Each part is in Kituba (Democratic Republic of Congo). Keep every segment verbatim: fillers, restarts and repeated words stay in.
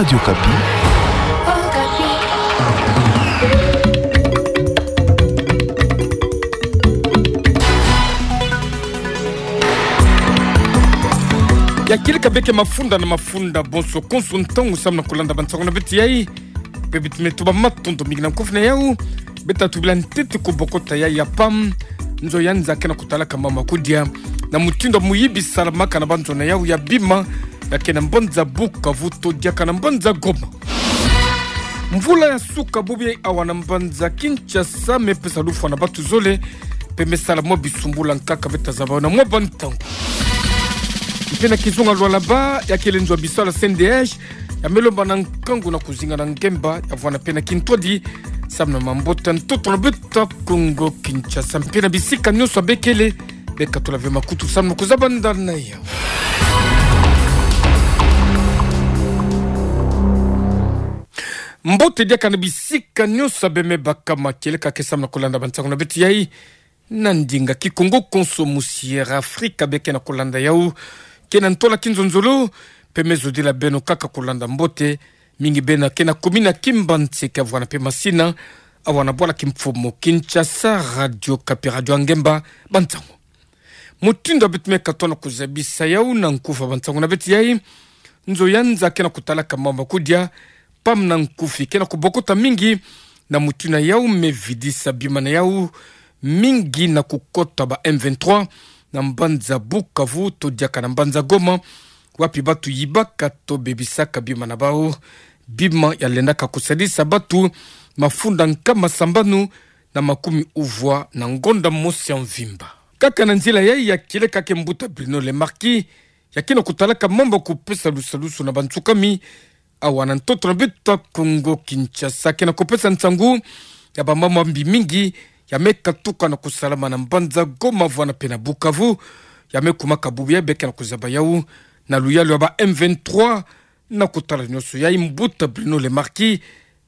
Radio Okapi. Ya kieleka beke mafunda na mafunda bonso konso ntangu samu na kulanda bansango na beto yai. Pe beto me tuba matondo mingi na nkufi na yau. Beto tubila ntete kubokota yai ya PAM. Nzo ya nza ke na kutalaka mama kudia na mutindu muyibi salamaka na banzo na yau ya bima, ya ke na mbanza Bukavu to diaka na mbanza Goma. Mvula ya suka bubu yai awa na mbanza Kinshasa me pesa lufwa na batu zole, pe me sala mwa bisumbula nkaka beto ta zaba na mwa bantangu. Mpe na kizunga Lualaba, ya kele nzo ya bisalu ya C N D H, ya me lomba na nkangu na kuzinga na ngemba, ya vwanda mpe na kintwadi samu na mambota ntoto na beto ya Kongo Kinshasa. Mpe na bisika nyonso bekele, bekatula ve makutu samu na kuzaba ndani na yau. Mbote diaka na bisika nyonso be me baka ma kieleka ke samu na kulanda bansango na beto yai na ndinga Kikongo konso. Musi Air Africa be ke na kulanda yau, ke na ntwala kinzonzolo, mpe me zodila beno kaka kulanda mbote, mingi beno ke na kumina Kimbanti ke vwanda mpe Masina, awa na bwala kimfumu Kinshasa, Radio Okapi, radio ya ngemba, bansango. Mutindu beto me katono kuzabisa yau na nkufi ya bansango na beto yai, nzo ya nza ke na kutalaka mama kudia, PAM na nkufi, ke na kubokota mingi na mutindu yau me vidisa bima na yau mingi na kukota ba M vingt-trois na mbanza Bukavu to diaka na mbanza Goma, wapi batu yibaka to bebisaka bima na bau. Bima ya lendaka kusadisa batu mafunda nkama sambanu na makumi uvwa na ngonda mosi ya mvimba. Kaka na nzila yai ya kieleka ke mbuta Bruno Le Marquis, ya ke na kutalaka mambu ya kupesa lusalusu na bansukami awa na ntoto na beto ya Kongo Kinshasa, ke na kupesa nsangu ya bamambu ya mbi mingi ya me katuka na kusalama na mbanza Goma vwanda mpe na Bukavu, ya me kumaka bubu yai be ke na kuzaba yau na luyalu ya ba M vingt-trois. Na kutala nyonso yai, mbuta Bruno Le Marquis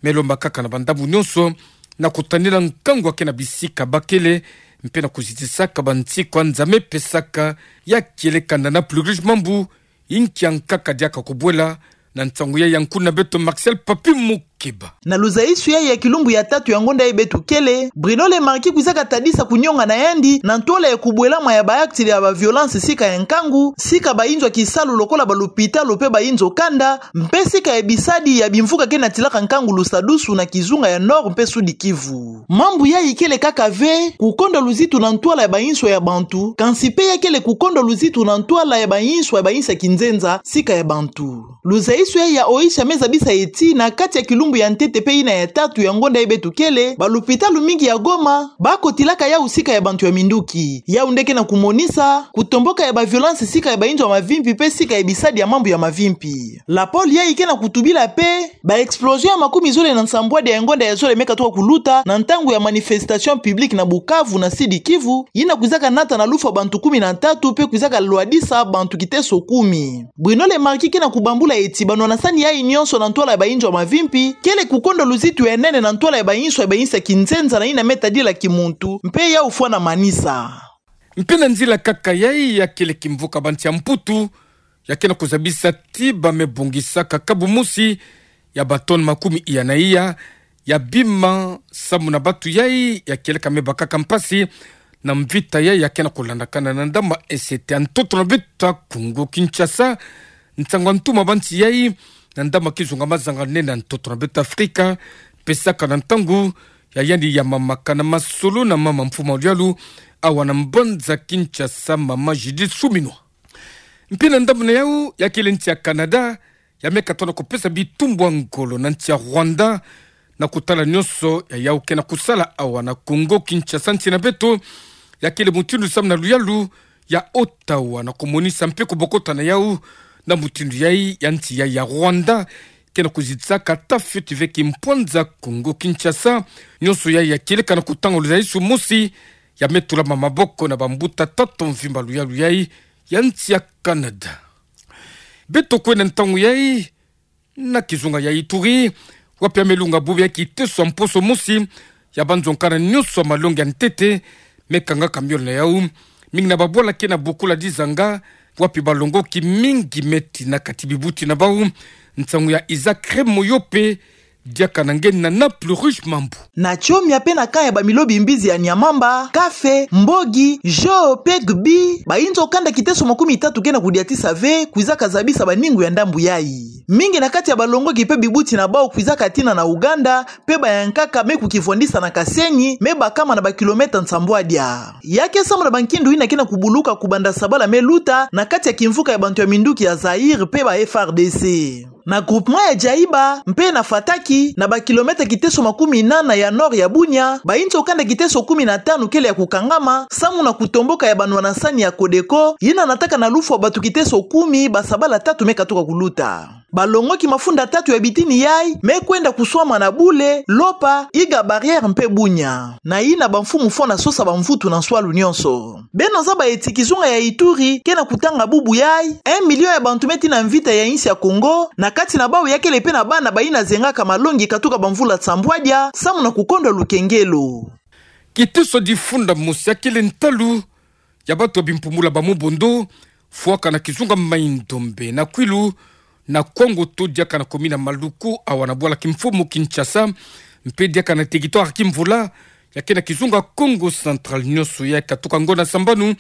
me lomba kaka na bandambu nyonso na kutanina nkangu ya ke na bisika bakele, mpe na kuzitisaka bansiku ya nza me pesaka ya kieleka na na plus riche mambu. Inki ya nkaka diaka kubwela? Na nsangu yai ya nkuna beto Martial Papi Mukeba. Na luzaisu yai ya kilumbu ya tatu ya ngonda yai beto kele, Bruno Le Marquis kwizaka tadisa kunionga na yandi na ntwala ya kubwelama ya ba acte ya ba violence sika ya nkangu, sika ba inzo ya kisalu lokola ba lupitalu mpe ba inzo kanda, mpe sika ya bisadi ya bimvuka ke na tilaka nkangu lusadusu na kizunga ya Nord mpe Sud Kivu. Mambu yai kele kaka ve kukonda luzitu na ntwala ya ba inso ya bantu, kansi mpe ya kele kukonda luzitu na ntwala ya ba inso ya ba insi ya kinzenza sika ya bantu. Luzaisu yai ya oisha me zabisa ti na kati ya kilumbu ya ntete mpe yina ya tatu ya ngonda yai beto kele, ba lupitalu mingi ya Goma ba kotilaka yau sika ya bantu ya minduki. Yau nde ke na kumonisa kutomboka ya ba violence sika ya ba inzo ya mavimpi mpe sika ya bisadi ya mambu ya mavimpi. La Pôle yai ke na kutubila mpe ba explosion ya makumi zole na nsambwadi ya ngonda ya zole me katuka kuluta na ntangu ya manifestation publique na Bukavu na Sud Kivu, yina kwizaka nata na lufwa bantu kumi na tatu mpe kwizaka lwadisa bantu kiteso kumi. Bruno Le Marquis ke na kubambula ti banwanasani yai nyonso na ntwala ya ba inzo ya mavimpi kele kukonda luzitu ya nene na ntwala ya ba inso ya ba insi ya kinzenza na yina me tadila kimuntu mpe yau fwana manisa. Mpe na nzila kaka yai ya kele kimvuka bantu ya Mputu, ya ke na kuzabisa ti ba me bongisaka kabu mosi ya ba tonne makumi iya na iya ya bima samu na batu yai ya kieleka me bakaka mpasi na mvita yai ya ke na kulandakana na ndama esete ya ntoto na beto ya Kongo Kinshasa. Nsangu ya ntuma bantu yai na ndama kizunga mazanga nene ya ntoto na beto Afrika pesaka na ntangu ya yandi ya mamaka na masolo na mama mfumu ya luyalu awa na mbanza Kinshasa, mama Judith Suminwa. Mpe na ndambu na yau ya kele nsi ya Canada, ya me katono kupesa bitumbu ya ngolo na nsi ya Rwanda na kutala nyonso ya yau ke na kusala awa na Kongo Kinshasa, nsi na beto. Ya kele mutindu samu na luyalu ya Ottawa na kumonisa mpe kubokota na yau na mutindu yai ya nsi yai ya Rwanda ke na kuzitisaka tafioti ve kimpwanza Kongo Kinshasa. Nyonso yai ya kieleka na kutanga luzaisu mosi ya me tulama maboko na bambuta tata mvimba luyalu yai ya nsi ya Canada. Beto kwenda ntangu yai na kizunga ya Ituri, wapi ya me lunga bubu ya kiteso ya mposo mosi ya banzo nkana nyonso ya malongi ya ntete me kangaka miolo na yau. Mingi na babwala ke na bokula dizanga wapi balongoki mingi me tina kati bibuti na bau. Nsangu ya Isaac Remoyope, diaka na nge na Naples Rouge Mambu. Na tiomia pe na camp ya bamilobi mbizi ya Niamamba, Kafe, Mbogi, Jo, pe Gbi, bayinzo kanda kiteso makumi tatu ke na kudiatisa ve, kwizaka zabisa baningu ya ndambu yai. Mingi na kati ya balongoki pe bibuti na bau kwizaka tina na Ouganda, pe bayankaka me kukivwandisa na Kasenyi, me bakama na bakilomètre nsambwadia. Ya ke samu na bankindu yina ke na kubuluka kubanda sabala me luta na kati ya kimvuka ya bantu ya minduki ya Zaïre pe ba F R D C. Na groupement ya Djaïba, mpe na Fataki, na bakilomètre kiteso makumi nana ya nord ya Bunia, bayinzo kanda kiteso kumi na tanu kele ya kukangama, samu na kutomboka ya banwana sani ya Codeco, yina nataka na lufwa bantu kiteso kumi, basabala tatu me katuka kuluta. Balongoki mafunda tatu ya bitini yai, me kwenda kuswama na Bule, Lopa, Iga Barrière mpe Bunia. Na yina bamfumu fo na sosa bamvutu na nswalu nyonso. Beno zaba eti kizunga ya Ituri, ke na kutanga bubu yai, un million ya bantu me tina mvita ya insi ya Congo, na kati na bau ya kele pe na bana bayina zengaka malongi katuka bamvula nsambwadia, samu na kukondwa lukengelo. Kiteso difunda mosi ya kele ntalu ya bantu ya bimpumbulu ya ba Mobondo, fwaka na kizunga Mai-Ndombe na Kwilu, na Kwangoto diaka na commune ya Maluku, awa na bwala kimfumu Kinshasa, mpe diaka na territoire Kimvula, ya ke na kizunga Kongo Central nyonso, ya katuka ngonda sambanu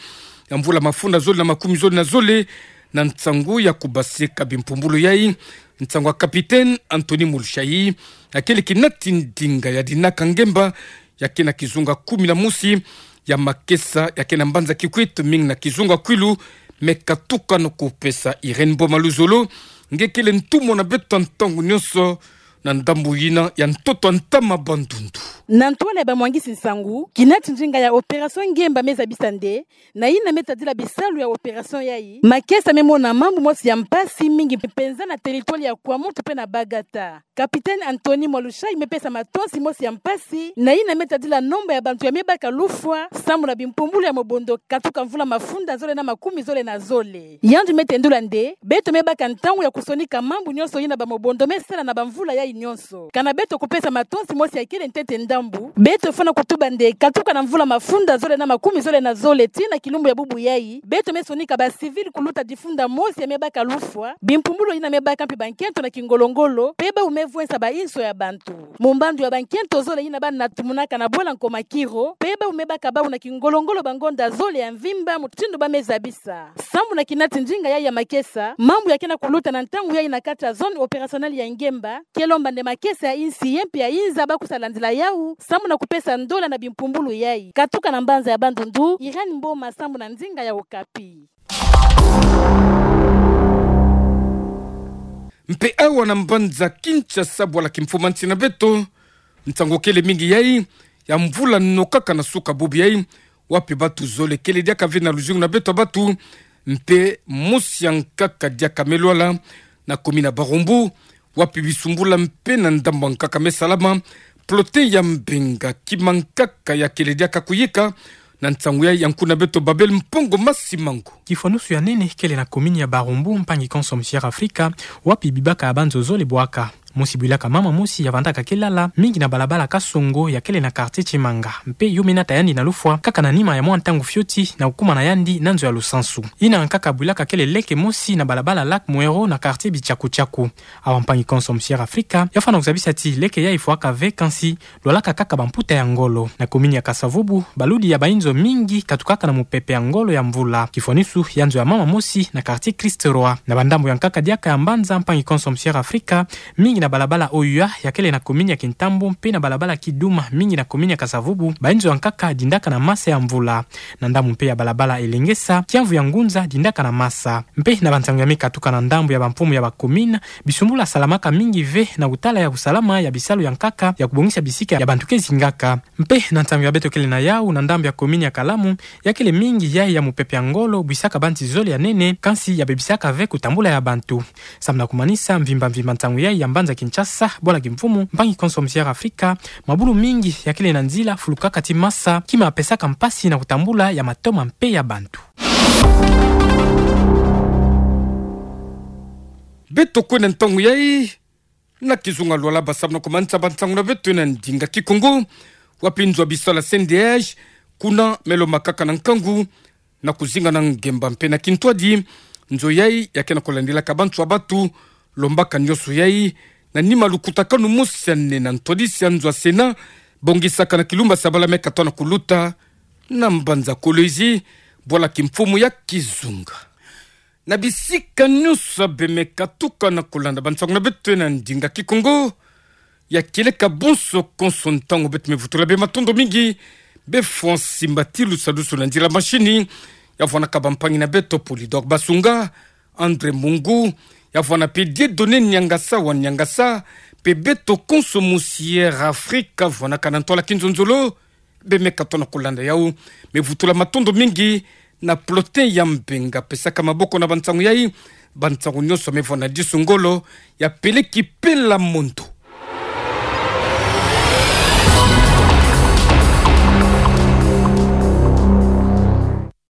ya mvula mafunda zole na makumi zole na zole, na nsangu ya kubaseka bimpumbulu yai, nsangu ya Capitaine Anthony Mulushai, ya kele kinati ndinga ya Dinaka Ngemba, ya ke na kizunga kumi na mosi ya makesa, ya ke na mbanza Kikwit, mingi na kizunga Kwilu, me katuka no kupesa Irène Boma Luzolo, nge kele ntumwa na beto ntangu nyonso, na ndambu yina ya ntoto ya ntama Bandundu. Na ntwala ya bamwangisi nsangu, kinati ndinga ya opération Ngemba me zabisa nde, na yina me tadila bisalu ya opération yai, makesa me mona mambu mosi ya mpasi mingi mpenza na territoire ya Kwamouth mpe na Bagata. Capitaine Anthony Mwalushai me pesa matonsi mosi ya mpasi, na yina me tadila nomba ya bantu ya me baka lufwa, samu na bimpumbulu ya Mobondo katuka mvula mafunda zole na makumi zole na zole. Yandi me tendula nde, beto me baka ntangu ya kusonika mambu nyonso yina ba Mobondo me sala na bamvula yai nyonso. Kana beto kupesa matonsi mosi ya kele ntete ndambu, beto fwana kutuba nde katuka na mvula mafunda zole na makumi zole na zole tii na kilumbu ya bubu yai, beto me sonika ba civil kuluta difunda mosi ya me baka lufwa, bimpumbulu yina me baka mpi bankento na kingolo-ngolo, mpe bau me vwensa bainso ya bantu. Mu mbandu ya bankento zole yina bana tumunaka na bwala Nkoma Kiro, mpe bau me baka bau na kingolo-ngolo bangonda zole ya mvimba mutindu ba me zabisa. Samu na kinati ndinga yai ya makesa, mambu ya ke na kuluta na ntangu yai na kati ya zone opérationnelle ya Ngemba, ke lomba nde makesa ya insi ye mpe ya inza ba kusalandila yau, samu na kupesa ndola na bimpumbulu yai. Katuka na mbanza ya Bandundu, Irène Mboma samu na ndinga ya Okapi. Mpe awa na mbanza Kinshasa, bwala kimfumu nsi na beto, nsangu kele mingi yai, ya mvula no kaka na suka bubu yai, wapi bantu zole kele diaka ve na luzingu na beto bantu, mpe mosi ya nkaka diaka me lwala, na commune ya Barumbu, wapi bisumbula mpe na ndambu ya nkaka me salama, plotin ya Mbenga, kima nkaka ya kele diaka kuyika, na nsangu yai ya nkuna beto Babel Mpongo Masimango. Kifwanusu ya nene kele na commune ya Barumbu, mpangi konso Musière Afrika, wapi bibaka ya banzo zole bwaka. Mosi bwilaka mama mosi ya vandaka kilala, mingi na balabala Kasongo ya kele na quartier Tshimanga. Mpe yo me nata yandi na lufwa, kaka na nima ya mwa ntangu fioti, na kukuma na yandi na nzo ya lusansu. Yina nkaka bwilaka kele leke mosi na balabala Lac Mouero na quartier Bitshaku-tshaku. Awa mpangi konso Musière Afrika, ya fwana kuzabisa ti leke yai fwaka ve kansi, lwalaka kaka bamputa ya ngolo. Na commune ya Kasa-Vubu, baludi ya bainzo mingi katukaka na mupepe ya ngolo ya mvula. Kifwanusu ya nzo ya mama mosi na quartier Christ-Roi. Na bandambu ya nkaka diaka ya mbanza mpangi konso Musière Afrika, mingi na balabala O U A ya kele na commune ya Kintambo, mpe na balabala Kiduma, mingi na commune ya Kasa-Vubu, bainzo ya nkaka dindaka na masa ya mvula. Na ndambu mpe ya balabala Elengesa, kiamvu ya ngunza dindaka na masa. Mpe na bansangu ya me katuka na ndambu ya bamfumu ya ba commune, bisumbula salamaka mingi ve na kutala ya kusalama ya bisalu ya nkaka ya kubongisa bisika ya bantu ke zingaka. Mpe na nsangu ya beto kele na yau na ndambu ya commune ya Kalamu, ya kele mingi yai ya mupepe ya ngolo bwisaka bansi zole ya nene, kansi ya bebisaka ve kutambula ya bantu. Samu na kumanisa mvimba-mvimba nsangu yai ya mbanza Kinshasa, bwala kimfumu, mpangi konso Musière Afrika, mabulu mingi ya kele na nzila fulukaka ti masa, kima pesaka mpasi na kutambula ya matoma mpe ya bantu. Beto kwenda ntangu yai na kizunga Lwala, ba samu na kumanisa bansangu na beto na ndinga Kikongo, wapi nzo ya bisalu ya C N D H, kuna me lombakaka na nkangu Na kuzinga na ngemba mpe na kintwadi, nzo yai ya kena kulandilaka bantu a batu, lombaka nyoso yai na nima lukutakanu mosi ane na ntwadisi a nzo a Sena, bongisaka na kilumba Sabala me katoa na kuluta na mbanza Kolwezi, bwala kimfumu ya kizunga. Na bisika nyoso beme katuka na kulanda bansangu na beto na ndinga Kikongo, ya kieleka bonso konso ntangu beto me vutula bê matondo mingi, bê Francis Mbatilu, salusu na nzila masini, ya vwanaka bampangi na beto Polydor Basunga, André Mungu, ya vwana mpe Dieudonné Niangasa wa Niangasa, mpe beto konso mu Sierra Africa, vwanaka na ntwala kinzonzolo, beme katoa na kulanda yau, me vutula matondo mingi na Plotin ya Mbenga, pesaka maboko na bansangu yai, bansangu nyoso me vwana disu ngolo, ya peleki pela mondo.